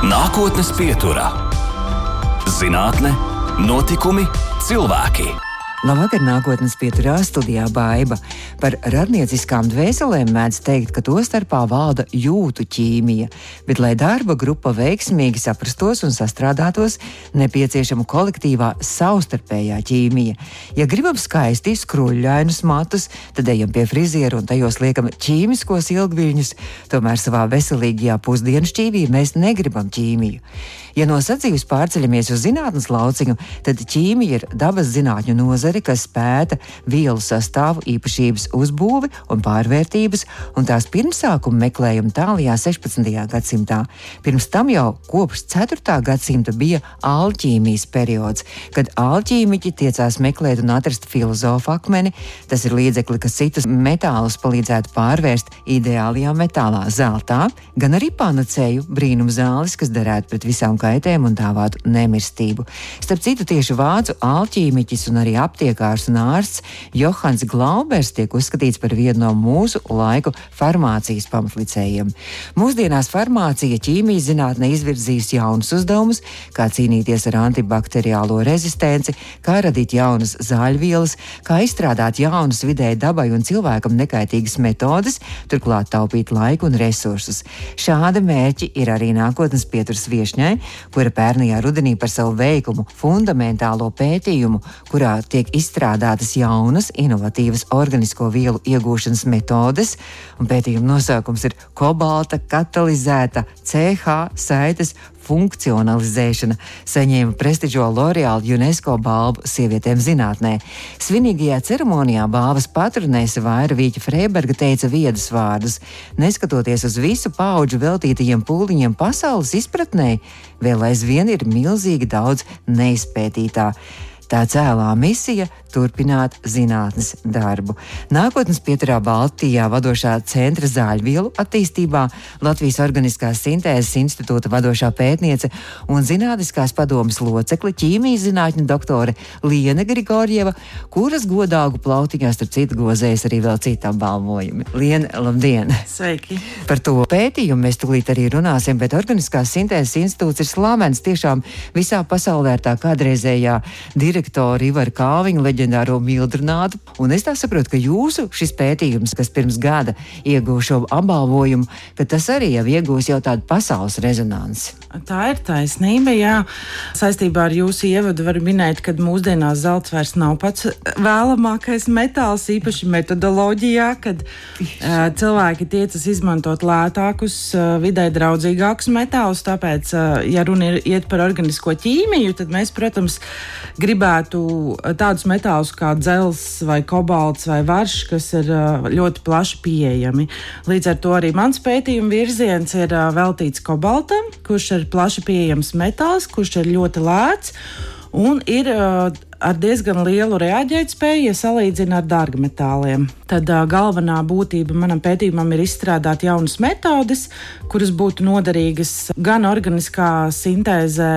Nākotnes pieturā. Zinātne, notikumi, cilvēki. Labvakar, nākotnes pieturā studijā Baiba. Par radnieciskām dvēselēm mēdz teikt, ka to starpā valda jūtu ķīmija, bet, lai darba grupa veiksmīgi saprastos un sastrādātos, nepieciešama kolektīvā savstarpējā ķīmija. Ja gribam skaisti skruļļainus matus, tad ejam pie friziera un tajos liekam ķīmiskos ilgviļņus, tomēr savā veselīgajā pusdienšķīvī mēs negribam ķīmiju. Ja no sadzīves pārceļamies uz zinātnes lauciņu, tad ķīmija ir dabas zinātņu nozare, kas pēta vielu sastāvu, īpašības, uzbūvi un pārvērtības, un tās pirmsākumu meklējumu tālajā 16. gadsimtā. Pirms tam jau kopš 4. gadsimta bija alķīmijas periods, kad alķīmiķi tiecās meklēt un atrast filozofu akmeni. Tas ir līdzekli, kas citus metālus palīdzētu pārvērst ideālajā metālā, zeltā, gan arī panacēju, brīnum zāles, kas derētu pret visām kaitēm un dāvātu nemirstību. Starp citu, tieši vācu alķīmiķis un arī aptiekārs un ārsts Johans Glaubers tiek uzskatīts par vienu no mūsu laiku farmācijas pamatlicējiem. Mūsdienās farmācija ķīmijas zinātne izvirzīs jaunus uzdevumus, kā cīnīties ar antibakteriālo rezistenci, kā radīt jaunas zāļvielas, kā izstrādāt jaunas vidēji dabai un cilvēkam nekaitīgas metodes, turklāt taupīt laiku un resursus. Šādi mērķi ir arī nākotnes pieturas viešņai, kura pērnajā rudenī par savu veikumu fundamentālo pētījumu, kurā tiek izstrādātas jaunas, inovatīvas organisko vielu iegūšanas metodes, un pētījuma nosaukums ir kobalta katalizēta CH saites funkcionalizēšana, saņēma prestižo L'Oreal UNESCO balvu sievietēm zinātnē. Svinīgajā ceremonijā balvas patronēse Vaira Vīķa Freiberga teica viedus vārdus. Neskatoties uz visu paudžu veltītajiem pūliņiem pasaules izpratnē, vēl aizvien ir milzīgi daudz neizpētītā. Tā cēlā misija turpināt zinātnes darbu. Nākotnes pieturā Baltijā vadošā centra zāļvielu attīstībā, Latvijas Organiskās sintēzes institūta vadošā pētniece un zinātniskās padomes locekle ķīmijas zinātņu doktore Liene Grigorjeva, kuras godāgu plautiņā starp citu gozējas arī vēl citi apbalvojumi. Liene, labdien! Sveiki! Par to pētījumu mēs tūlīt arī runāsim, bet Organiskās sintēzes institūts ir slavens tiešām visā pasaulē ar tā kādreizējā direktoru Ivaru Kalviņu, leģendāro Mildrunātu, un es tā saprotu, ka jūsu šis pētījums, kas pirms gada ieguva šo apbalvojumu, ka tas arī jau iegūs jau tādu pasaules rezonansi. Tā ir taisnība, jā. Saistībā ar jūsu ievadu varu minēt, ka mūsdienās zelts vairs nav pats vēlamākais metāls, īpaši metodoloģijā, kad cilvēki tiecas izmantot lētākus, vidē draudzīgākus metālus, tāpēc, ja runa iet par organisko ķīmiju, tad mēs, protams, gribētu tādus metālus kā dzels vai kobalts vai varš, kas ir ļoti plaši pieejami. Līdz ar to arī mans pētījuma virziens ir veltīts kobaltam, kurš ir plaši pieejams metāls, kurš ir ļoti lēts un ir ar diezgan lielu reaģētspēju, ja salīdzina ar dārgmetāliem. Tad galvenā būtība manam pētījumam ir izstrādāt jaunas metodes, kuras būtu noderīgas gan organiskā sintēzē,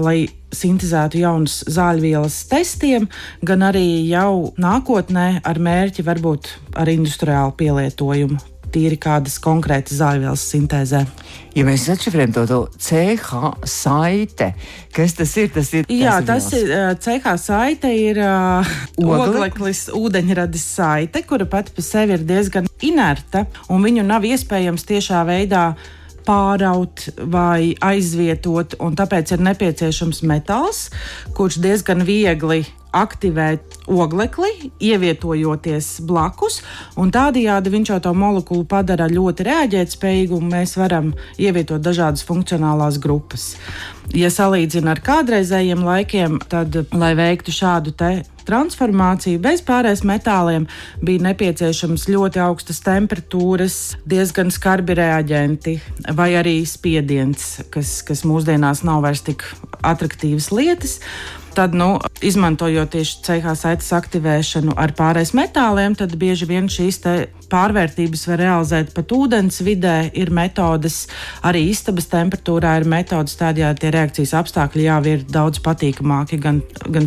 lai sintēzētu jaunas zāļvielas testiem, gan arī jau nākotnē ar mērķi varbūt ar industriālu pielietojumu, tīri kādas konkrētas zāļvielas sintēzē. Ja mēs atšifrējam to CH saite, kas tas ir? Jā, tas ir CH saite ir ogleklis ūdeņradis saite, kura pati pa sevi ir diezgan inerta, un viņu nav iespējams tiešā veidā pāraut vai aizvietot, un tāpēc ir nepieciešams metāls, kurš diezgan viegli aktivē oglekli, ievietojoties blakus, un tādējādi viņš jau to molekulu padara ļoti reaģētspējīgu, un mēs varam ievietot dažādas funkcionālās grupas. Ja salīdzina ar kādreizējiem laikiem, tad, lai veiktu šādu te transformāciju bez pārējais metāliem, bija nepieciešams ļoti augstas temperatūras, diezgan skarbi reaģenti vai arī spiediens, kas mūsdienās nav vairs tik atraktīvas lietas. Tad, izmantojot tieši CH saites aktivēšanu ar pārējais metāliem, tad bieži vien šīs te pārvērtības var realizēt pat ūdens vidē, ir metodes, arī istabas temperatūrā ir metodes, tādējādi tie reakcijas apstākļi jau ir daudz patīkamāki gan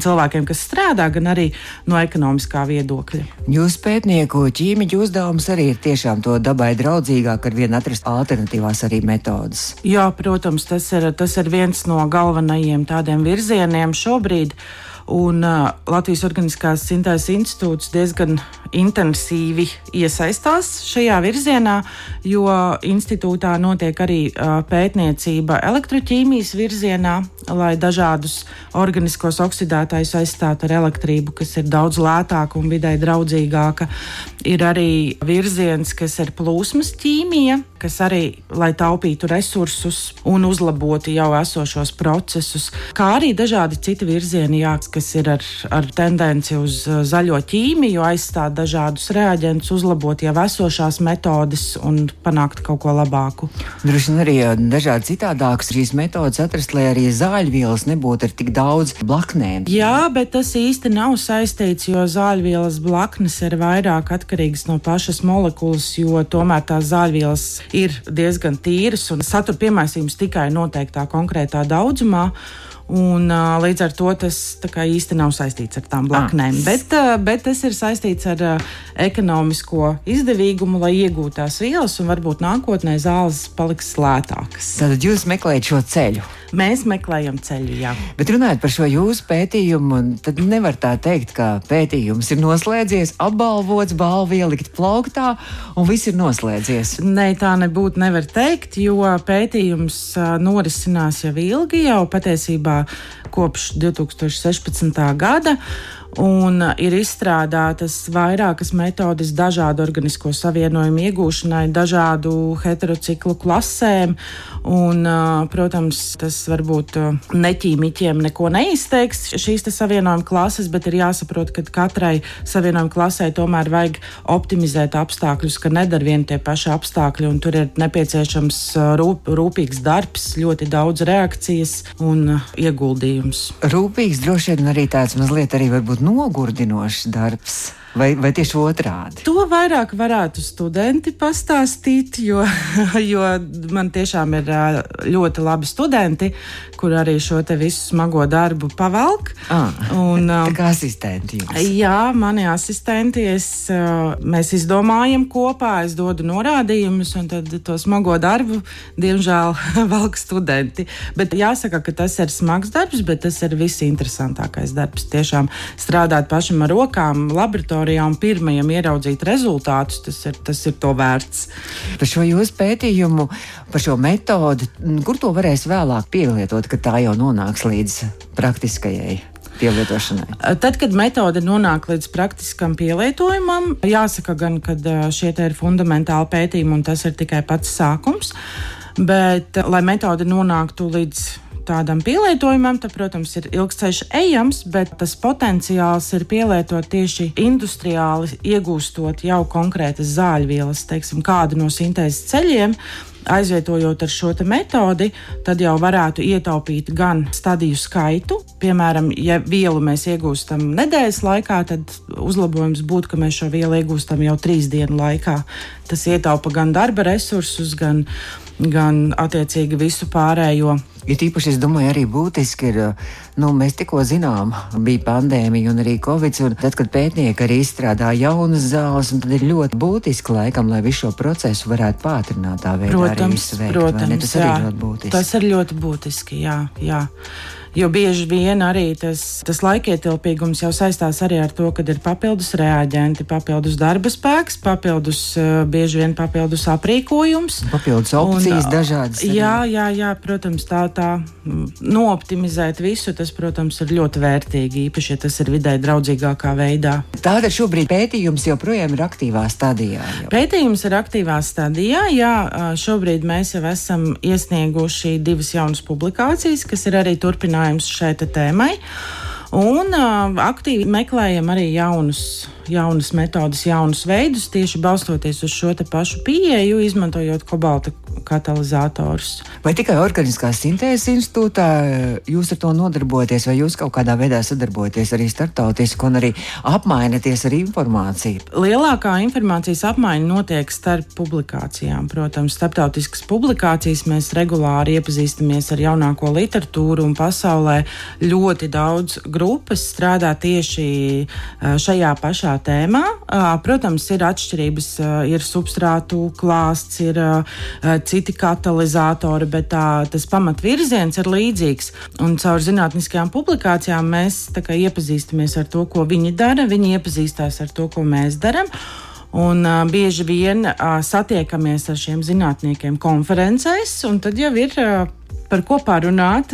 cilvēkiem, kas strādā, gan arī no ekonomiskā viedokļa. Jūsu pētnieku ķīmiķu uzdevums arī ir tiešām to dabai draudzīgāk, ar vien atrast alternatīvās arī metodas. Jā, protams, tas ir viens no galvenajiem tādiem virzieniem šobrīd. Un Latvijas Organiskās sintēzes institūts diezgan intensīvi iesaistās šajā virzienā, jo institūtā notiek arī pētniecība elektroķīmijas virzienā, lai dažādus organiskos oksidētājus aizstātu ar elektrību, kas ir daudz lētāka un videi draudzīgāka. Ir arī virziens, kas ir plūsmas ķīmija, kas arī, lai taupītu resursus un uzlabotu jau esošos procesus, kā arī dažādi citi virzieni, kas ir ar tendenci uz zaļo ķīmiju, aizstāt dažādus reaģentus, uzlabot jau esošās metodes un panākt kaut ko labāku. Droši vien arī dažādi citādākas šīs metodas atrast, lai arī zāļvielas nebūtu ar tik daudz blaknēm. Jā, bet tas īsti nav saistīts, jo zāļvielas blaknes ir vairāk atkarīgas no pašas molekulas, jo tomēr tās zāļvielas ir diezgan tīras un satur piemaisījums tikai noteiktā konkrētā daudzumā. Un līdz ar to tas īsti nav saistīts ar tām blaknēm. Bet tas ir saistīts ar ekonomisko izdevīgumu, lai iegūtu tās vielas, un varbūt nākotnē zāles paliks lētākas. Tad jūs meklējat šo ceļu? Mēs meklējam ceļu, jā. Bet runājot par šo jūsu pētījumu, tad nevar tā teikt, ka pētījums ir noslēdzies, apbalvots, balva ielikt plauktā un viss ir noslēdzies. Nē, tā nebūtu nevar teikt, jo pētījums norisinās jau ilgi, jau patiesībā kopš 2016. gada. Un ir izstrādātas vairākas metodes dažādu organisko savienojumu iegūšanai, dažādu heterociklu klasēm. Un, protams, tas varbūt neķīmiķiem neko neizteiks šīs savienojuma klases, bet ir jāsaprot, ka katrai savienojuma klasē tomēr vajag optimizēt apstākļus, ka nedara vien tie paši apstākļi, un tur ir nepieciešams rūpīgs darbs, ļoti daudz reakcijas un ieguldījums. Rūpīgs droši vien arī tāds mazliet arī varbūt nogurdinošs darbs. Vai tieši otrādi? To vairāk varētu studenti pastāstīt, jo man tiešām ir ļoti labi studenti, kur arī šo te visu smago darbu pavelk. Tā kā asistenti jums? Jā, mani asistenti. Mēs izdomājam kopā, es dodu norādījumus, un tad to smago darbu, diemžēl, velk studenti. Bet jāsaka, ka tas ir smags darbs, bet tas ir visinteresantākais darbs. Tiešām strādāt pašam ar rokām, laboratorijā un pirmajam ieraudzīt rezultātus, tas ir to vērts. Par šo jūsu pētījumu, par šo metodi, kur to varēs vēlāk pielietot, kad tā jau nonāks līdz praktiskajai pielietošanai? Tad, kad metode nonāk līdz praktiskam pielietojumam, jāsaka gan, ka šie te ir fundamentāli pētījumi un tas ir tikai pats sākums, bet, lai metode nonāktu līdz tādam pielietojumam, tad, protams, ir ilgs ceļš ejams, bet tas potenciāls ir pielietot tieši industriāli, iegūstot jau konkrētas zāļvielas, teiksim, kādu no sintēzes ceļiem, aizvietojot ar šo metodi, tad jau varētu ietaupīt gan stadiju skaitu. Piemēram, ja vielu mēs iegūstam nedēļas laikā, tad uzlabojums būtu, ka mēs šo vielu iegūstam jau 3 dienu laikā. Tas ietaupa gan darba resursus, gan attiecīgi visu pārējo. Ir īpaši, es domāju, arī būtiski ir, mēs tikko zinām, bija pandēmija un arī Covid, un tad, kad pētnieki arī izstrādā jaunas zāles, un tad ir ļoti būtiski laikam, lai visu šo procesu varētu pātrināt tā veidā arī visu veikt. Protams, tas arī ļoti būtiski. Tas ir ļoti būtiski, jā. Jo bieži vien arī tas laikietilpīgums jau saistās arī ar to, kad ir papildus reaģenti, papildus darba spēks, bieži vien papildus aprīkojums. Papildus opcijas dažādas. Jā, protams, tā nooptimizēt visu, tas, protams, ir ļoti vērtīgi, īpaši, ja tas ir videi draudzīgākā veidā. Tātad šobrīd pētījums joprojām ir aktīvā stadijā. Pētījums ir aktīvā stadijā, jā. Šobrīd mēs jau esam iesnieguši 2 jaunas publikācijas, kas ir arī turpinājums šai tēmai. Un aktīvi meklējam arī jaunas metodas, jaunus veidus, tieši balstoties uz šo pašu pieeju, izmantojot katalizatorus. Vai tikai Organiskās sintēzes institūtā jūs ar to nodarbojaties, vai jūs kaut kādā veidā sadarbojaties arī starptautiski un arī apmainaties ar informāciju? Lielākā informācijas apmaiņa notiek starp publikācijām. Protams, starptautiskas publikācijas mēs regulāri iepazīstamies ar jaunāko literatūru, un pasaulē ļoti daudz grupas strādā tieši šajā pašā tēmā. Protams, ir atšķirības, ir substrātu klāsts, ir citi katalizatori, bet tas pamatvirziens ir līdzīgs. Un caur zinātniskajām publikācijām mēs iepazīstamies ar to, ko viņi dara, viņi iepazīstās ar to, ko mēs darām. Un bieži vien satiekamies ar šiem zinātniekiem konferencēs, un tad jau ir par ko pārunāt,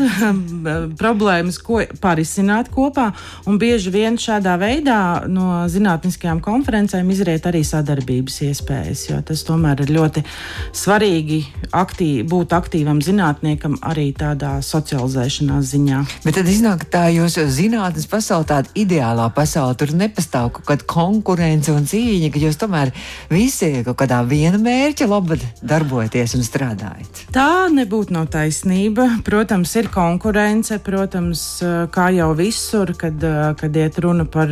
problēmas, ko pārisināt kopā. Un bieži vien šādā veidā no zinātniskajām konferencēm izriet arī sadarbības iespējas, jo tas tomēr ir ļoti svarīgi būt aktīvam zinātniekam arī tādā socializēšanās ziņā. Bet tad iznāk tā jūsu zinātnes pasaule, tāda ideālā pasaule, tur nepastāv kaut kāda konkurence un cīņa, ka jūs tomēr visi kaut kādā viena mērķa labad darbojaties un strādājat. Tā nebūtu nav taisnība. Protams, ir konkurence, protams, kā jau visur, kad iet runa par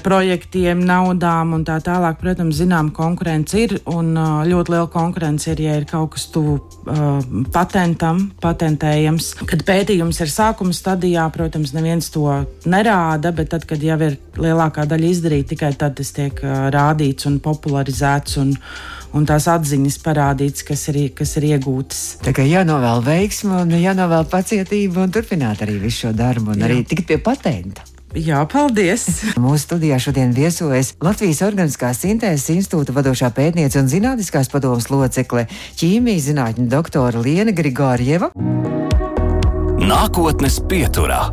projektiem, naudām un tā tālāk. Protams, zinām, konkurence ir, un ļoti liela konkurence ir, ja ir kaut kas tuvu patentējams. Kad pētījums ir sākuma stadijā, protams, neviens to nerāda, bet tad, kad jau ir lielākā daļa izdarīta, tikai tad tas tiek rādīts un popularizēts un tās atziņas parādīts, kas ir iegūtas. Tā kā jānovēl veiksmi un jānovēl pacietība un turpināt arī visu šo darbu un arī tikt pie patenta. Jā, paldies! Mūsu studijā šodien viesojas Latvijas Organiskās sintēzes institūta vadošā pētniece un zinātniskās padomes locekle, ķīmijas zinātņu doktore Liena Grigorjeva. Nākotnes pieturā.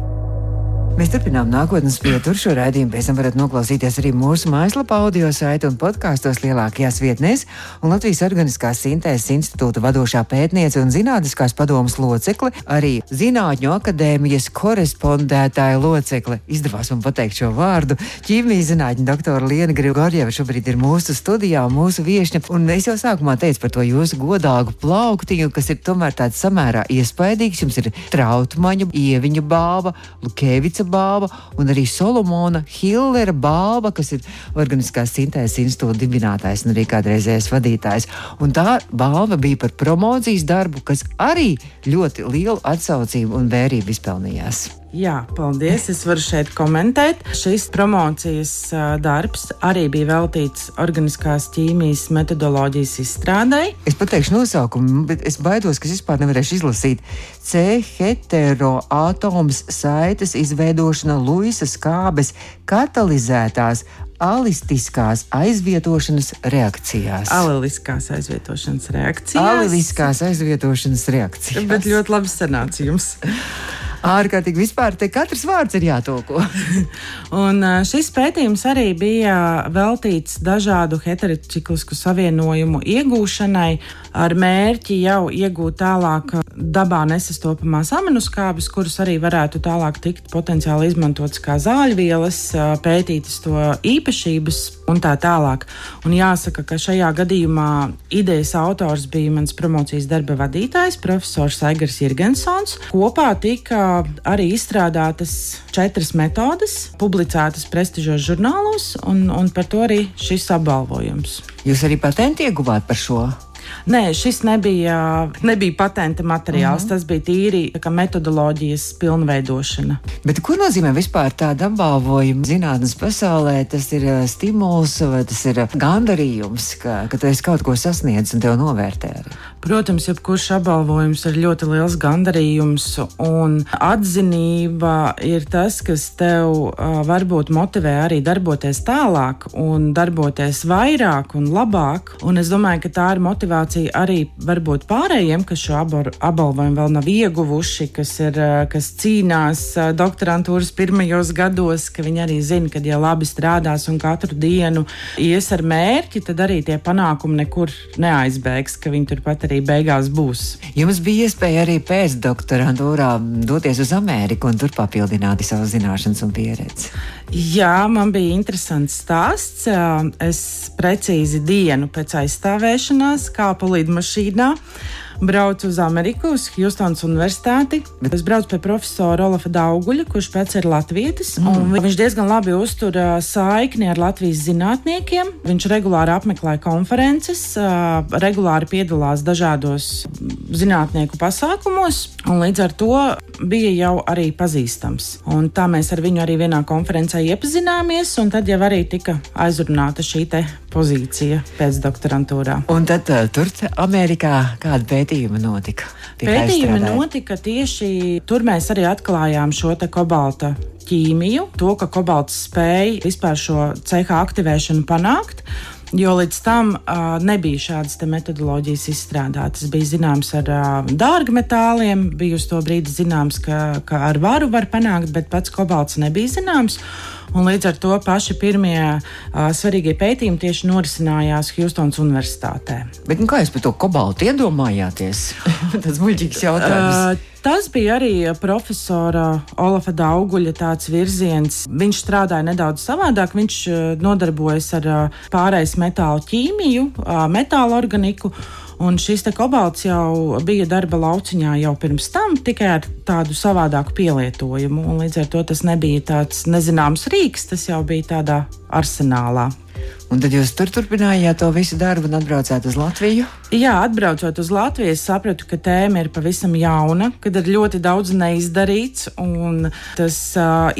Mēs turpinām Nākotnes pieturu. Šo raidījumu pēc tam varat noklausīties arī mūsu mājaslapā, audio saite un podkāstos lielākajās vietnēs. Un Latvijas Organiskās sintēzes institūta vadošā pētniece un zinātniskās padomes locekle, arī Zinātņu akadēmijas korespondētāja locekle, izdevās man pateikt šo vārdu, ķīmijas zinātņu doktora Liena Grigorjeva šobrīd ir mūsu studijā, mūsu viešņa. Un es jau sākumā teicu par to jūsu godāgu plauktiņu, kas ir tomēr tāds samērā iespaidīgs. Jums ir Trautmaņa, Ieviņa balva, Lukēvica balva un arī Solomona Hillera balva, kas ir Organiskās sintēzes institūta dibinātājs un arī kādreizējais vadītājs. Un tā balva bija par promocijas darbu, kas arī ļoti lielu atsaucību un vērību izpelnījās. Jā, paldies. Es varu šeit komentēt. Šis promocijas darbs arī bija veltīts organiskās ķīmijas metodoloģijas izstrādei. Es pateikšu nosaukumu, bet es baidos, ka es vispār nevarēšu izlasīt. C-heteroatoms saites izveidošana Luisa skābes katalizētās alistiskās aizvietošanas reakcijās. Aleliskās aizvietošanas reakcijās. Aleliskās aizvietošanas reakcijās. Bet ļoti labi sanāca jums. Ārkārtīgi vispār te katrs vārds ir jātulko. Un šis pētījums arī bija veltīts dažādu heterociklisku savienojumu iegūšanai ar mērķi jau iegūt tālāk dabā nesastopamās aminoskābes, kuras arī varētu tālāk tikt potenciāli izmantotas kā zāļvielas, pētītas to īpašības un tā tālāk. Un jāsaka, ka šajā gadījumā idejas autors bija mans promocijas darba vadītājs, profesors Aigars Jirgensons. Kopā tika arī izstrādātas 4 metodes, publicētas prestižos žurnālos, un par to arī šis apbalvojums. Jūs arī patentu ieguvāt par šo? Nē, šis nebija patenta materiāls, tas bija tīri metodoloģijas pilnveidošana. Bet ko nozīmē vispār tāda apbalvojuma zinātnes pasaulē? Tas ir stimuls vai tas ir gandarījums, ka tu esi kaut ko sasniedzis un tev novērtē arī? Protams, jebkurš apbalvojums ir ļoti liels gandarījums, un atzinība ir tas, kas tev varbūt motivē arī darboties tālāk un darboties vairāk un labāk. Un es domāju, ka tā ir motivācija arī varbūt pārējiem, kas šo apbalvojumu vēl nav ieguvuši, kas cīnās doktorantūras pirmajos gados, ka viņi arī zina, ka ja labi strādās un katru dienu ies ar mērķi, tad arī tie panākumi nekur neaizbēgs, ka viņi turpat arī arī beigās būs. Jums bija iespēja arī pēc doktorantūrā doties uz Ameriku un tur papildināt savu zināšanas un pieredzi. Jā, man bija interesants stāsts. Es precīzi dienu pēc aizstāvēšanās kāpu lidmašīnā, braucu uz Ameriku, uz Hjustonas universitāti. Es braucu pie profesora Olafa Dauguļa, kurš pēc ir latvietis. Viņš diezgan labi uztur saikni ar Latvijas zinātniekiem. Viņš regulāri apmeklē konferences, regulāri piedalās dažādos zinātnieku pasākumos, un līdz ar to bija jau arī pazīstams. Un tā mēs ar viņu arī vienā konferencē iepazināmies, un tad jau arī tika aizrunāta šī te pozīcija pēc doktorantūrā. Un tad tur Amerikā kāda pētījuma notika? Pētījumi notika tieši tur. Mēs arī atklājām šo te kobalta ķīmiju, to, ka kobalts spēja vispār šo CH aktivēšanu panākt. Jo līdz tam nebija šādas metodoloģijas izstrādātas. Bija zināms ar dārgmetāliem, bija uz to brīdi zināms, ka ar varu var panākt, bet pats kobalts nebija zināms. Un līdz ar to paši pirmie svarīgie pētījumi tieši norisinājās Hjustonas universitātē. Bet kā jūs par to kobaltu iedomājāties? Tas muļķīgs jautājums. Tas bija arī profesora Olafa Dauguļa tāds virziens. Viņš strādāja nedaudz savādāk. Viņš nodarbojas ar pārejas metālu ķīmiju, metālu organiku. Un šis te kobalts jau bija darba lauciņā jau pirms tam, tikai ar tādu savādāku pielietojumu. Un līdz ar to tas nebija tāds nezināms rīks, tas jau bija tādā arsenālā. Un tad jūs turpinājāt to visu darbu un atbraucāt uz Latviju? Jā, atbraucot uz Latviju, es sapratu, ka tēma ir pavisam jauna, kad ir ļoti daudz neizdarīts, un tas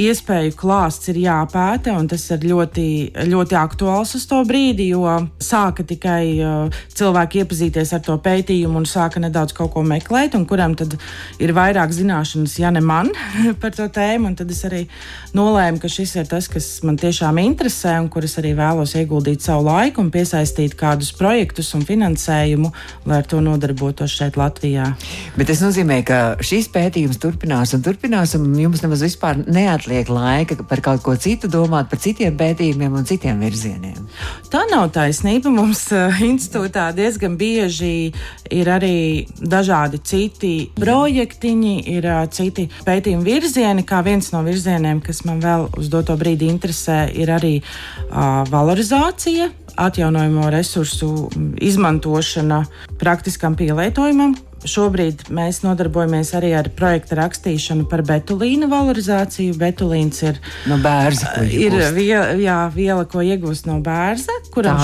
iespēju klāsts ir jāpēta, un tas ir ļoti, ļoti aktuāls uz to brīdi, jo sāka tikai cilvēki iepazīties ar to pētījumu un sāka nedaudz kaut ko meklēt, un kuram tad ir vairāk zināšanas, ja ne man, par to tēmu, un tad es arī nolēmu, ka šis ir tas, kas man tiešām interesē, un kur es arī vēlos ieguldīt savu laiku un piesaistīt kādus projektus un finansējumu, lai ar to nodarbotos šeit Latvijā. Bet tas nozīmē, ka šīs pētījums turpinās, un jums nemaz vispār neatliek laika par kaut ko citu domāt, par citiem pētījumiem un citiem virzieniem. Tā nav taisnība. Mums institūtā diezgan bieži ir arī dažādi citi projektiņi, ir citi pētījumi virzieni, kā viens no virzieniem, kas man vēl uz doto brīdi interesē, ir arī valorizācija, atjaunojamo resursu izmantošana praktiskam pielietojumam. Šobrīd mēs nodarbojamies arī ar projekta rakstīšanu par betulīna valorizāciju. Betulīns ir no bērza, ir viela, ko iegūst no bērza, kuram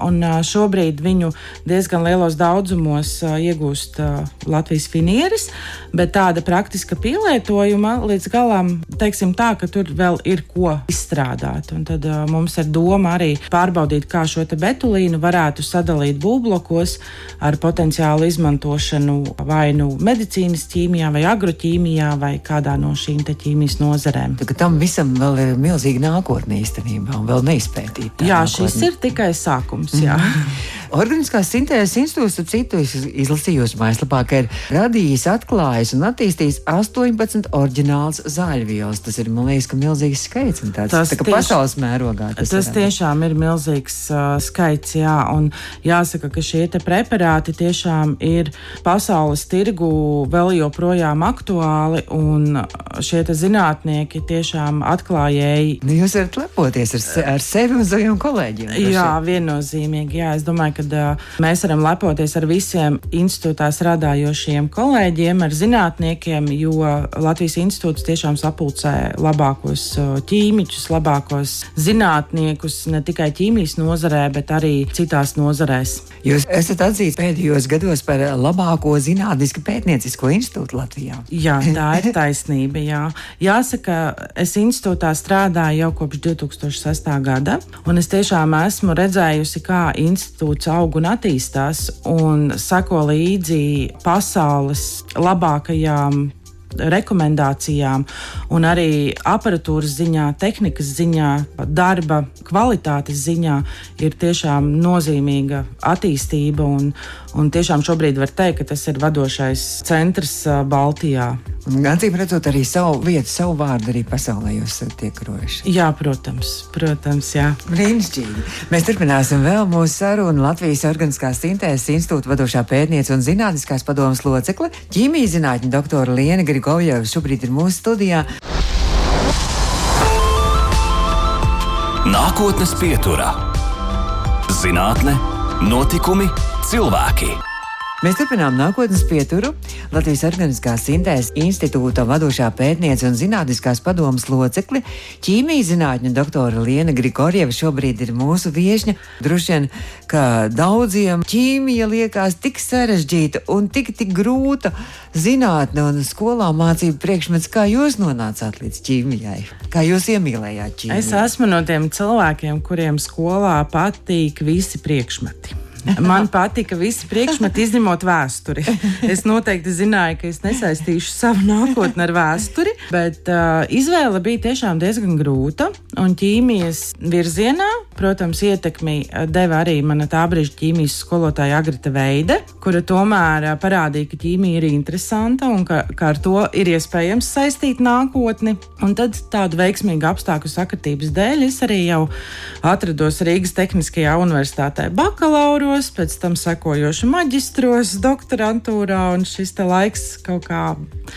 un šobrīd viņu diezgan lielos daudzumos iegūst Latvijas finieris, bet tāda praktiska pielietojuma līdz galam, teiksim tā, ka tur vēl ir ko izstrādāt. Un tad mums ir doma arī pārbaudīt, kā šo te betulīnu varētu sadalīt būvblokos ar potenciālu izmantošanu vai nu medicīnas ķīmijā, vai agroķīmijā, vai kādā no šīm te ķīmijas nozarēm. Tad tam visam vēl ir milzīga nākotne īstenībā un vēl neizpētīta. Jā, šis ir tikai sākums, jā. Organiskās sintēzes institūts, ap citu, izlasījos mājaslapā, ka ir radījis, atklājis un attīstījis 18 oriģināls zāļvielas. Tas ir, man liekas, ka milzīgs skaits. Un tāds, tā kā pasaules mērogā. Tas tiešām ir milzīgs skaits, jā. Un jāsaka, ka šie te preparāti tiešām ir pasaules tirgu vēl joprojām aktuāli, un šie te zinātnieki tiešām atklājēji. Jūs varat lepoties ar sevi un saviem kolēģiem. Jā, viennozīmīgi, jā. Es domāju, ka mēs varam lepoties ar visiem institūtā strādājošiem kolēģiem, ar zinātniekiem, jo Latvijas institūts tiešām sapulcē labākos ķīmiķus, labākos zinātniekus ne tikai ķīmijas nozarē, bet arī citās nozarēs. Jūs esat atzīts pēdējos gados par labāko zinātnisku pētniecisko institūtu Latvijā. Jā, tā ir taisnība, jā. Jāsaka, es institūtā strādāju jau kopš 2006. gada, un es tiešām esmu redzējusi, kā institūts aug un attīstās un seko līdzi pasaules labākajām rekomendācijām un arī aparatūras ziņā, tehnikas ziņā, darba kvalitātes ziņā ir tiešām nozīmīga attīstība un tiešām šobrīd var teikt, ka tas ir vadošais centrs Baltijā. Acīm redzot, arī savu vietu, savu vārdu arī pasaulē jūs tiek rojuši. Jā, protams, jā. Brīnišķīgi. Mēs turpināsim vēl mūsu sarunu. Latvijas Organiskās sintēzes institūta vadošā pētniece un zinātniskās padomes locekle, ķīmijas zinātņu doktora Liena Grigorjeva šobrīd ir mūsu studijā. Nākotnes pieturā. Zinātne, notikumi, cilvēki. Mēs turpinām nākotnes pieturu. Latvijas Organiskās sintēzes institūta vadošā pētniece un zinātniskās padomes locekle, ķīmijas zinātņu doktora Liena Grigorjeva šobrīd ir mūsu viešņa. Droši vien, ka daudziem ķīmija liekas tik sarežģīta un tik grūta zinātne un skolā mācību priekšmets. Kā jūs nonācāt līdz ķīmijai? Kā jūs iemīlējāt ķīmiju? Es esmu no tiem cilvēkiem, kuriem skolā patīk visi priekšmeti. Man patika visi priekšmeti, izņemot vēsturi. Es noteikti zināju, ka es nesaistīšu savu nākotni ar vēsturi, bet izvēle bija tiešām diezgan grūta. Un ķīmijas virzienā, protams, ietekmi deva arī mana tā brīža ķīmijas skolotāja Agrita Veide, kura tomēr parādīja, ka ķīmija ir interesanta un ka ar to ir iespējams saistīt nākotni. Un tad tādu veiksmīgu apstākļu sakritības dēļ es arī jau atrados Rīgas Tehniskajā universitātē bakalauru, pēc tam sekojoši maģistros, doktorantūrā, un šis te laiks kaut kā...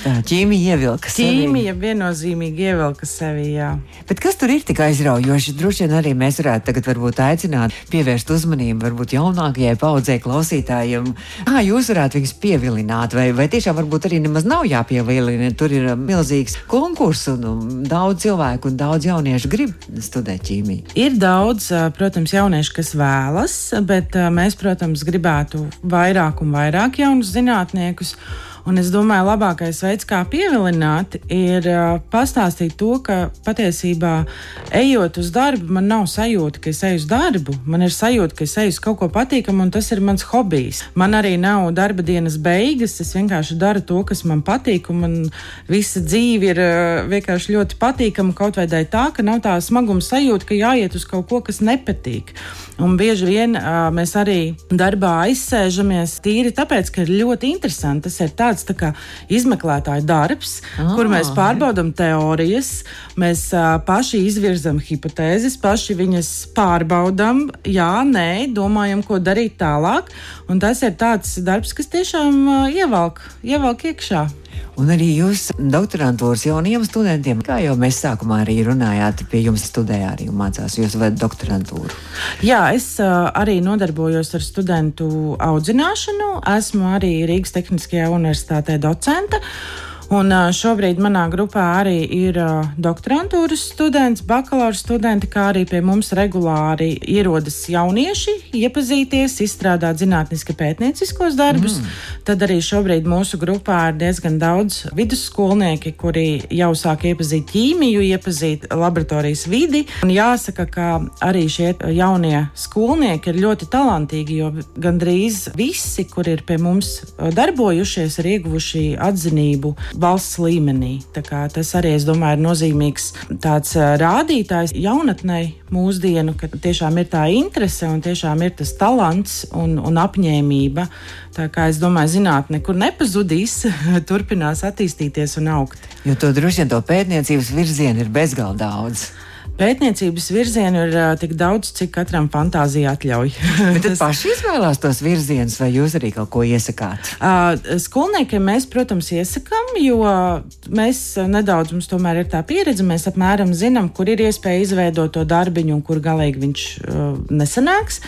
Tā ķīmija ievilka sevi. Ķīmija viennozīmīgi ievilka sevi, jā. Bet kas tur ir tik aizraujoši? Droši vien arī mēs varētu tagad varbūt aicināt pievērst uzmanību varbūt jaunākajai paudzei klausītājiem. Kā jūs varētu viņus pievilināt? Vai tiešām varbūt arī nemaz nav jāpievilina? Tur ir milzīgs konkurss un daudz cilvēku un daudz jauniešu grib studēt ķīmiju. Ir daudz, protams, jaunieši, kas vēlas, bet mēs, protams, gribētu vairāk un vairāk jaunus zinātniekus. Un es domāju, labākais veids, kā pievilināt, ir pastāstīt to, ka patiesībā ejot uz darbu, man nav sajūta, ka es eju uz darbu. Man ir sajūta, ka es eju uz kaut ko patīkamu, un tas ir mans hobijs. Man arī nav darba dienas beigas, es vienkārši daru to, kas man patīk, un man visa dzīve ir vienkārši ļoti patīkama, kaut vai dēļ tā, ka nav tā smaguma sajūta, ka jāiet uz kaut ko, kas nepatīk. Un bieži vien mēs arī darbā aizsēžamies tīri tāpēc, ka ir ļoti interesanti. Tas ir tāds tā kā izmeklētāja darbs, kur mēs pārbaudam teorijas, mēs paši izvirzam hipotēzes, paši viņas pārbaudam, jā, nē, domājam, ko darīt tālāk. Un tas ir tāds darbs, kas tiešām ievelk iekšā. Un arī jūs doktorantūras jauniem studentiem, kā jau mēs sākumā arī runājāt, pie jums studēja arī un mācās, jūs vedat doktorantūru. Jā, es arī nodarbojos ar studentu audzināšanu, esmu arī Rīgas Tehniskajā universitātē docente. Un šobrīd manā grupā arī ir doktorantūras students, bakalaura studenti, kā arī pie mums regulāri ierodas jaunieši, iepazīties, izstrādāt zinātniski pētnieciskos darbus. Tad arī šobrīd mūsu grupā ir diezgan daudz vidusskolnieki, kuri jau sāk iepazīt ķīmiju, iepazīt laboratorijas vidi. Un jāsaka, ka arī šie jaunie skolnieki ir ļoti talantīgi, jo gandrīz visi, kuri ir pie mums darbojušies, ir ieguvuši atzinību valsts līmenī. Tā kā tas arī, es domāju, ir nozīmīgs tāds rādītājs jaunatnei mūsdienu, ka tiešām ir tā interese un tiešām ir tas talants un apņēmība. Tā kā es domāju, zinātne nekur nepazudīs, turpinās attīstīties un augt. Jo to droši vien to pētniecības virzienu ir bezgalīgi daudz. Pētniecības virzienu ir tik daudz, cik katram fantāzija atļauj. Bet tad paši izvēlās tos virzienus, vai jūs arī kaut ko iesakāt? Skolniekiem mēs, protams, iesakām, jo mēs nedaudz, mums tomēr ir tā pieredze, mēs apmēram zinām, kur ir iespēja izveidot to darbiņu un kur galīgi viņš nesanāks.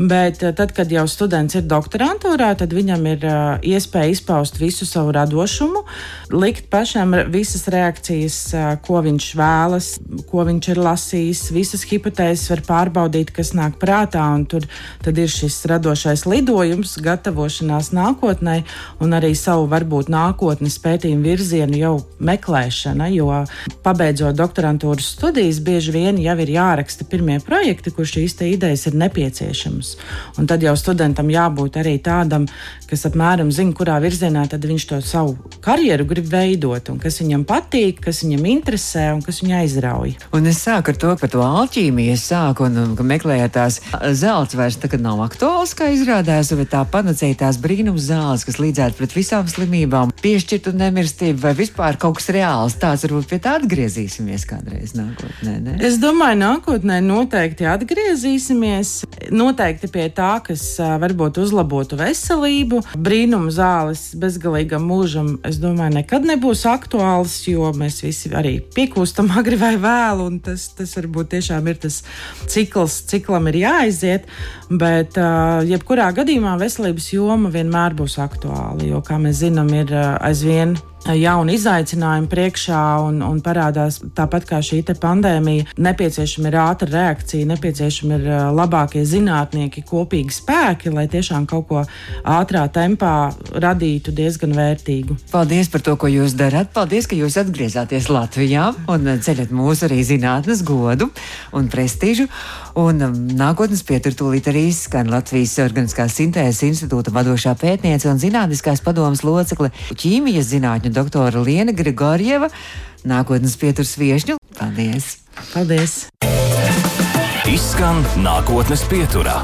Bet tad, kad jau students ir doktorantūrā, tad viņam ir iespēja izpaust visu savu radošumu, likt pašam visas reakcijas, ko viņš vēlas, ko viņš ir lasījis, lasīs, visas hipotēzes var pārbaudīt, kas nāk prātā, un tad ir šis radošais lidojums, gatavošanās nākotnē, un arī savu varbūt nākotnes pētījumu virzienu jau meklēšana, jo pabeidzot doktorantūras studijas, bieži vien jau ir jāraksta pirmie projekti, kur šīs te idejas ir nepieciešamas. Un tad jau studentam jābūt arī tādam, kas apmēram zina, kurā virzienā tad viņš to savu karjeru grib veidot, un kas viņam patīk, kas viņam interesē un kas viņu aizrauj. Un es sāku ar to, par to alķīmiju, un meklēju tās zelts vairs tagad nav aktuāls, kā izrādās, bet tā panacēja tās brīnums zāles, kas līdzētu pret visām slimībām, piešķirtu nemirstību vai vispār kaut kas reāls. Tāds varbūt pie tā atgriezīsimies kādreiz nākotnē, ne? Es domāju, nākotnē noteikti atgriezīsimies, noteikti pie tā, kas varbūt uzlabotu veselību. Brīnums zāles bezgalīgam mūžam, es domāju, nekad nebūs aktuāls, jo mēs visi arī piekūstam agri vai vēlu, un tas varbūt tiešām ir tas ciklam ir jāaiziet, bet jebkurā gadījumā veselības joma vienmēr būs aktuāla, jo, kā mēs zinām, ir aizvien jauni izaicinājumi priekšā un parādās tāpat kā šī te pandēmija. Nepieciešama ir ātra reakcija, nepieciešama ir labākie zinātnieki, kopīgi spēki, lai tiešām kaut ko ātrā tempā radītu diezgan vērtīgu. Paldies par to, ko jūs darat. Paldies, ka jūs atgriezāties Latvijā un ceļat mūsu arī zinātnes godu un prestīžu. Un nākotnes pietur tūlīt arī skan Latvijas Organiskās sintēzes institūta vadošā pētniece un zinātniskās padomes locekle ķīmijas zinātņu doktora Liena Grigorjeva. Nākotnes pieturs viešņu. Paldies! Paldies! Izskan Nākotnes pieturā.